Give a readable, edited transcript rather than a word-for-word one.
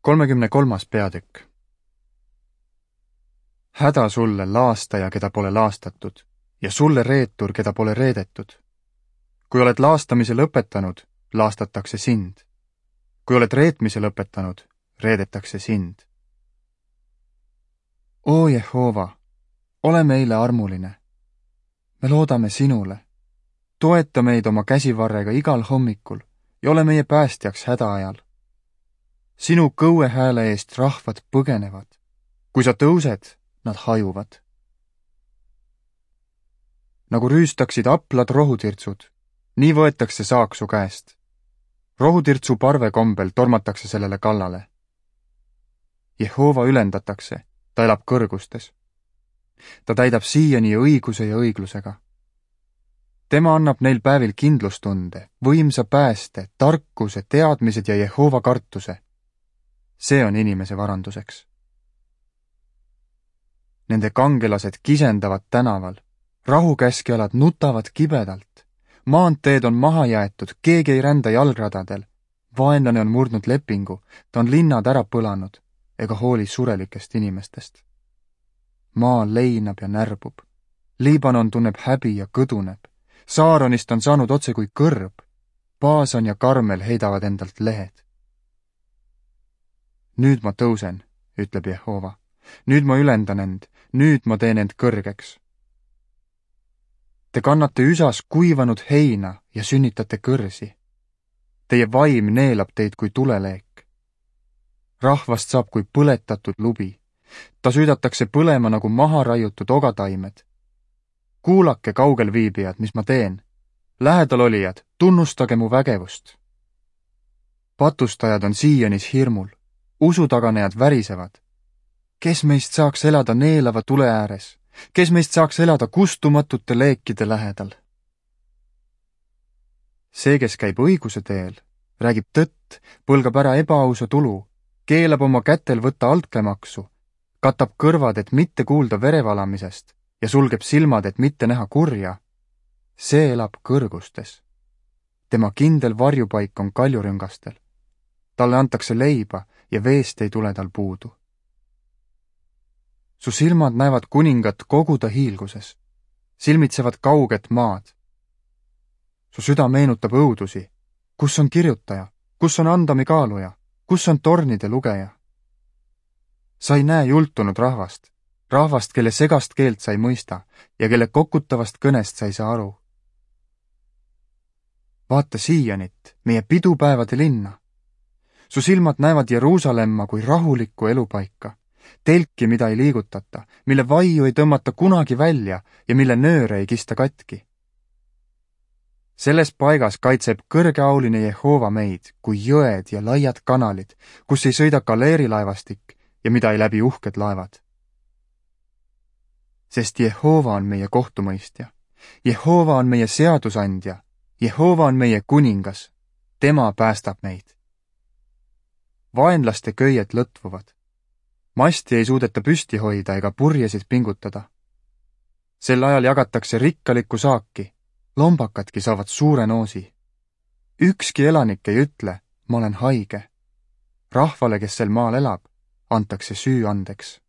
33. peatükk. Häda sulle, laastaja, keda pole laastatud, ja sulle, reetur, keda pole reedetud. Kui oled laastamise lõpetanud, laastatakse sind. Kui oled reetmise lõpetanud, reedetakse sind. O Jehova, ole meile armuline. Me loodame sinule. Toeta meid oma käsivarrega igal hommikul ja ole meie päästjaks hädaajal. Sinu kõue hääle eest rahvad põgenevad. Kui sa tõused, nad hajuvad. Nagu rüüstaksid aplad rohutirtsud, nii võetakse saak su käest. Rohutirtsu parve kombel tormatakse sellele kallale. Jehova ülendatakse, ta elab kõrgustes. Ta täidab siiani õiguse ja õiglusega. Tema annab neil päevil kindlustunde, võimsa pääste, tarkuse, teadmised ja Jehova kartuse. See on inimese varanduseks. Nende kangelased kisendavad tänaval, rahukäskjalad nutavad kibedalt, maanteed on maha jäetud, keegi ei rända jalgradadel, vaenlane on murdnud lepingu, ta on linnad ära põlanud ega hooli surelikest inimestest. Maa leinab ja närbub, Liibanon tunneb häbi ja kõduneb, Saaronist on saanud otse kui kõrb, Baasan ja Karmel heidavad endalt lehed. Nüüd ma tõusen, ütleb Jehova. Nüüd ma ülendan end, nüüd ma teen end kõrgeks. Te kannate üsas kuivanud heina ja sünnitate kõrsi. Teie vaim neelab teid kui tuleleek. Rahvast saab kui põletatud lubi. Ta süüdatakse põlema nagu maha raiutud ogataimed. Kuulake, kaugel viibijad, mis ma teen. Lähedal olijad, tunnustage mu vägevust. Patustajad on siianis hirmul. Usutaganejad värisevad. Kes meist saaks elada neelava tule ääres? Kes meist saaks elada kustumatute leekide lähedal? See, kes käib õiguse teel, räägib tõtt, põlgab ära ebaausa tulu, keelab oma kätel võtta altkäemaksu, katab kõrvad, et mitte kuulda verevalamisest ja sulgeb silmad, et mitte näha kurja. See elab kõrgustes. Tema kindel varjupaik on kaljurüngastel. Talle antakse leiba ja veest ei tule tal puudu. Su silmad näevad kuningat kogu ta hiilguses, silmitsevad kauget maad. Su süda meenutab õudusi, kus on kirjutaja, kus on andami kaaluja, kus on tornide lugeja. Sa ei näe jultunud rahvast, rahvast, kelle segast keelt sa ei mõista ja kelle kokutavast kõnest sa ei saa aru. Vaata Siianit, meie pidupäevade linna. Su silmad näevad Jeruusalemma kui rahulikku elupaika, telki, mida ei liigutata, mille vaiu ei tõmmata kunagi välja ja mille nööre ei kista katki. Selles paigas kaitseb kõrgeauline Jehova meid kui jõed ja laiad kanalid, kus ei sõida galeerilaevastik ja mida ei läbi uhked laevad. Sest Jehova on meie kohtumõistja, Jehova on meie seadusandja, Jehova on meie kuningas, tema päästab meid. Vaenlaste köied lõtvuvad. Masti ei suudeta püsti hoida ega purjesid pingutada. Sel ajal jagatakse rikkalikku saaki, lombakadki saavad suure noosi. Ükski elanik ei ütle, ma olen haige. Rahvale, kes sel maal elab, antakse süü andeks.